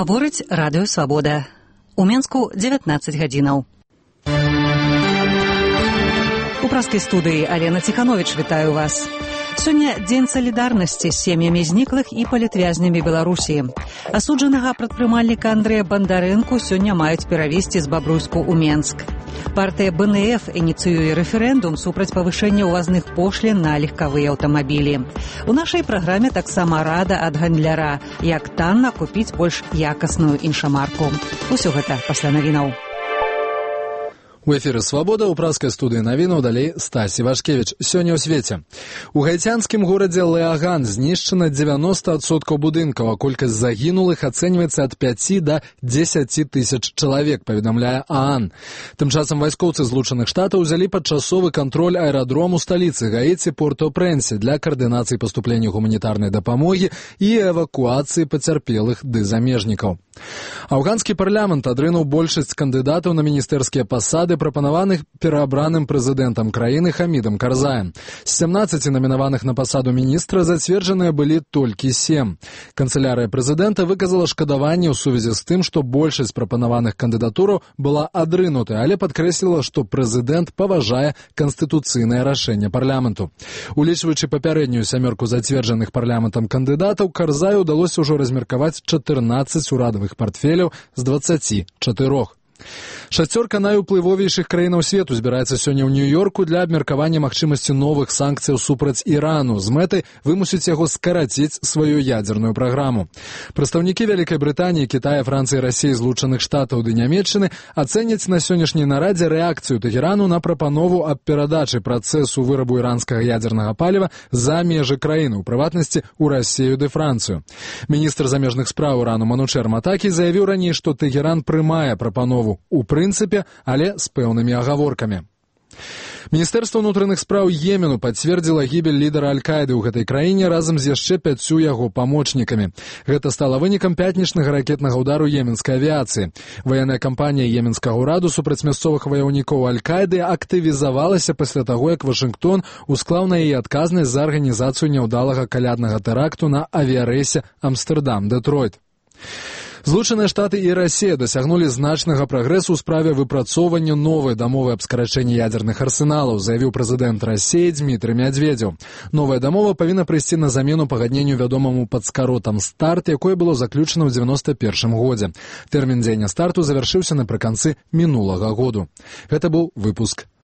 Гаворыць радыё «Свабода». У Менску 19 гадзінаў. У праскай студыі Алена Ціхановіч вітаю вас. Сёння дзень салідарнасці з сем'ямі зніклых і палітвязнямі Беларусі. Асуджанага прадпрымальніка Андрэя Бандарэнку сёння маюць перавезці з Бабруйску ў Менск. Партыя БНФ ініцыюе рэферэндум супраць павышэння ўвазных пошлін на легкавыя аўтамабілі. У нашай праграме таксама рада ад гандляра, як танна купіць больш якасную іншамарку. Усё гэта пасля навінаў. У эфіры «Свабода», у праскай студыі навінаў, далей Стасі Вашкевіч. Сёння ў свеце. У гаіцянскім горадзе Леаган знішчана 90% будынкаў, а колькасць загінулых ацэньваецца ад 5 да 10 тысяч чалавек, паведамляе ААН. Тым часам вайскоўцы Злучаных Штатаў узялі падчасовы кантроль аэрадрому сталіцы Гаіці Порт-о-Прэнсе для каардынацыі паступлення гуманітарнай дапамогі і эвакуацыі пацярпелых ды замежнікаў. Афганскі парламент адрынуў большасць кандыдатаў на міністэрскія пасады, прапанаваных пераабраным прэзідэнтам краіны Хамідам Карзаем. З 17 намінаваных на пасаду міністра зацверджаныя былі толькі 7. Канцылярыя прэзідэнта выказала шкадаванне ў сувязі з тым, што большасць прапанаваных кандыдатураў была адрынутай, але падкрэсліла, што прэзідэнт паважае канстытуцыйнае рашэнне парламенту. Улічваючы папярэднюю сямёрку зацверджаных парламентам кандыдатаў, Карзаю ўдалося ўжо размеркаваць 14 урадавых партфеляў з 24. Шасцёрка найуплывовейшых краінаў свету збіраецца сёння ў Нью-Йорку для абмеркавання магчымасці новых санкцыяў супраць Ірану з мэтай вымусіць яго скараціць сваю ядзерную праграму. Прадстаўнікі Вялікай Брытаніі, Кітая, Францыі, Расіі, Злучаных Штатаў ды Нямецчыны ацэняць на сённяшняй нарадзе рэакцыю Тэхерану на прапанову аб перадачы працэсу вырабу іранскага ядзернага паліва за межы краіны, у прыватнасці ў Расію ды Францыю. Міністр замежных спраў Ірану Манучэр Матакі заявіў раней, што Тэхеран прымае прапанову у прынцыпе, але з пэўнымі агаворкамі. Міністэрства ўнутраных спраў Йемену пацвердзіла гібель лідара Аль-Каіды ў гэтай краіне разам з яшчэ 5 яго памочнікамі. Гэта стала вынікам пятнічнага ракетнага ўдару йеменскай авіяцыі. Ваенная кампанія йеменскага ўраду супраць мясцовых ваяўнікоў Аль-Каіды актывізавалася пасля таго, як Вашынгтон усклаў на яе адказнасць за арганізацыю няўдалага каляднага тэракту на авіярэйсе Амстэрдам-Дэтройт. Злучаныя Штаты і Расія дасягнулі значнага прагрэсу ў справе выпрацоўвання новай дамовы аб скарачэнні ядзерных арсеналаў, заявіў прэзідэнт Расіі Дмітрый Мядзведзеў. Новая дамова павінна прыйсці на замену пагадненню вядомаму пад скаротам «Старт», якое было заключана ў 91 годзе. Тэрмін дзеяння «Старту» завяршыўся напрыканцы мінулага году. Гэта быў выпуск